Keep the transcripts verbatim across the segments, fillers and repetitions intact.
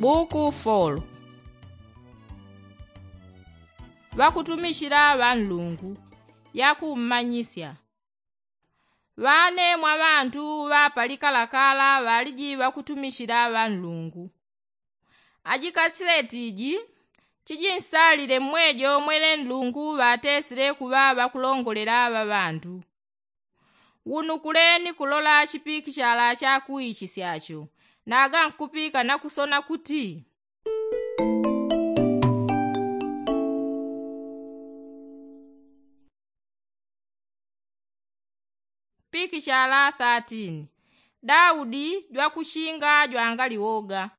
Buku folo. Ŵakutumichila ŵa nlungu. Yakummanyisya. Ŵane mwa ŵantu ŵa palikalakala ŵaliji ŵakutumichila ŵa nlungu. Ajikasileti iji chijinsalile mmwejo mwele nlungu ŵatesile kuŵa ŵakulongolela ŵa ŵantu. Wunukule ni kulola chipikichala cha kuichisyacho. Naga nkupika na kusona kuti. Pikichala thirteen. Daudi jwakuchinga jwangaliwoga.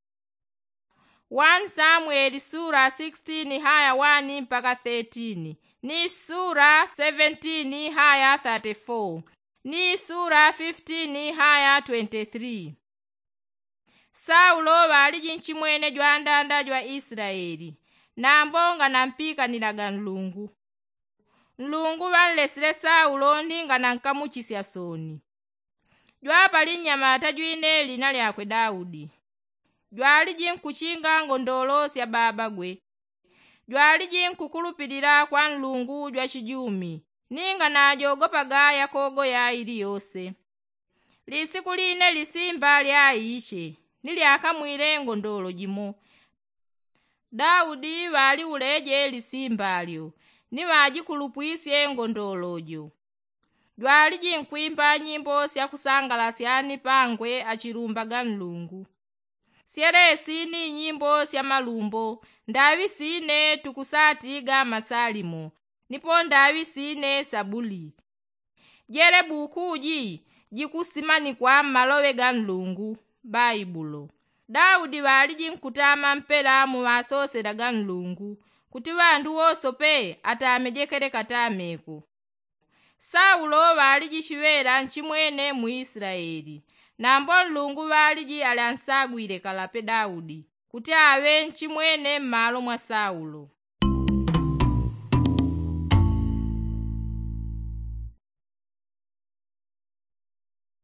One samweli sura sixteen haya one mpaka thirteen, ni sura seventeen haya thirty-four, ni sura fifteen haya twenty-three. Saulo ŵaliji nchimwene jwandanda jwa isilaeli, nambo nganampikanila ga nlungu. Nlungu ŵanlesile saulo ni nganankamuchisya soni. Jwapali nnyamata jwine lina lyakwe daudi. Jwaliji nkuchinga ngondolo sya babagwe. Jwaliji nkukulupilila kwa nlungu jwa chijumi, ninga najogopaga yakogo ya iliyose. Lisiku line lisimba lyaiche, ni lyakamwile ngondolo jimo. Daudi ŵaliuleje lisimba lyo, ni ŵajikulupwisye ngondolo jo. Jwaliji nkwimba nyimbo sya kusangalasya ni pangwe achilumbaga nlungu. Syelesi ni nyimbo sya malumbo, ndaŵi sine tukusatiga masalimo, nipo ndaŵi sine sabuli. Jele buku ji jikusimanikwa mmaloŵe ga nlungu. Baibulo. Daudi ŵaliji nkutama mpela mu ŵasosela ga nlungu, kuti ŵandu wosope atamejekele katameko. Saulo ŵaliji chiŵela nchimwene mu isilaeli, nambo nlungu ŵaliji ali ansagwile kalape daudi kuti aŵe nchimwene mmalo mwa saulo.